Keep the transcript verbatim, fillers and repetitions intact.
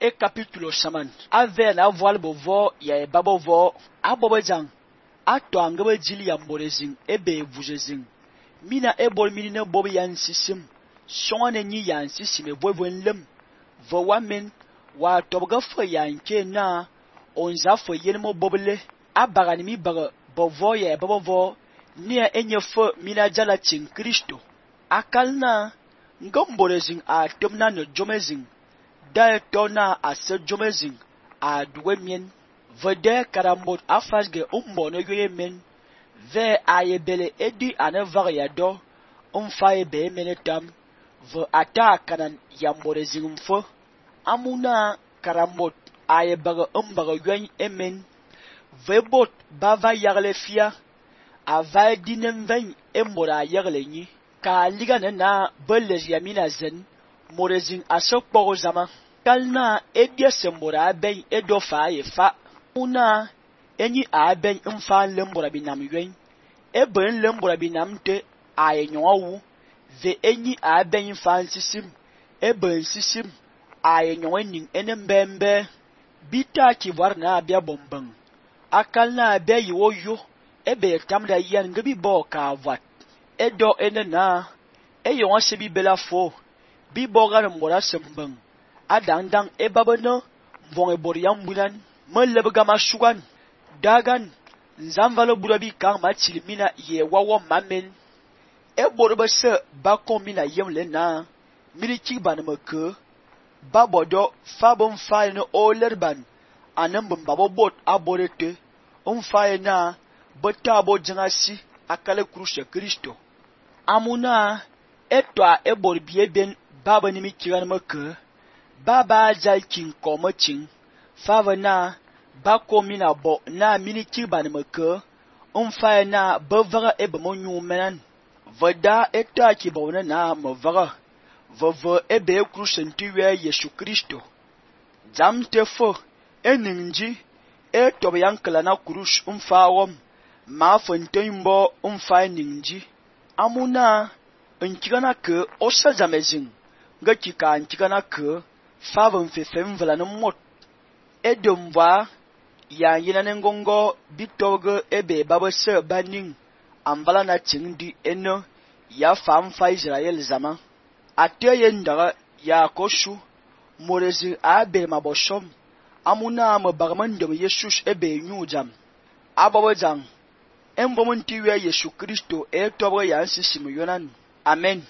e capítulo saman ave na voile bovo ya e babovo abobejang ato angebe jili ya mborezing ebe vujezing mina ebol minine bob yan sisim songane nyi yan sisim evoivon lem vo wamen wa tobga fo yan ke na onza fo yenmo boble abagani mi baga bovo ya babovo ni enye fo mina jala chin Kristo akalna ngomborezing a tomna no jomezing da tona a se jomezing a duwemien vede karambot afasge umbo no yoyemen ve ayebele edi anevag ya do umfaye be menetam ve ata kanan yamborezing mfo amuna karambot ayebaga umbaga yoy emen ve bot bava yagle fia ava dinem ven embora yagle nyi ka liga na beles yamina zen morezing asokpo zama kalna edia sembora ben edofa yefa una enyi a ben mfa lembora binam ywen eben lembora binam te ayenyowu ve enyi a ben fa sisim eben sisim ayenyowe ning enembembe bita ki warna bia bombang akalna be yoyo ebe tamda yan ngebi bo ka vat edo enena eyon sebi bela fo bi bogan mbora sembang adandang ebabano mvong eboriam bulan melebga mashugan dagan nzamvalo burabi kang machilimina ye wawo mamen eborba se bakomina yemle na miliki banmeke babodo fabon faye no olerban anambum babobot aborete on faye na botabo jangasi akale krushe Kristo amuna etwa ebor bieben baba ni mi kiran meke baba jal kin komachin fava na bako mina bo na mini kiban meke umfa na bavaga ebe monyu menan vada eta ki bona na mavaga vava ebe krushen tiwe Yesu Kristo jam tefo eninji e tobe yankala na krush umfa wom ma fontembo umfa ninji amuna nkigana ke osa jamezing nga kika nkigana ke favon fefem vela no mot edomva ya yina nengongo bitoge ebe babase baning amvala na chingdi eno ya famfa Israel zama ateye ndaga ya koshu morezi abe maboshom amuna mabagman de Yesus ebe nyujam abawajang embomuntiwe Yesu Kristo e tobe ya nsisimu yonan amen.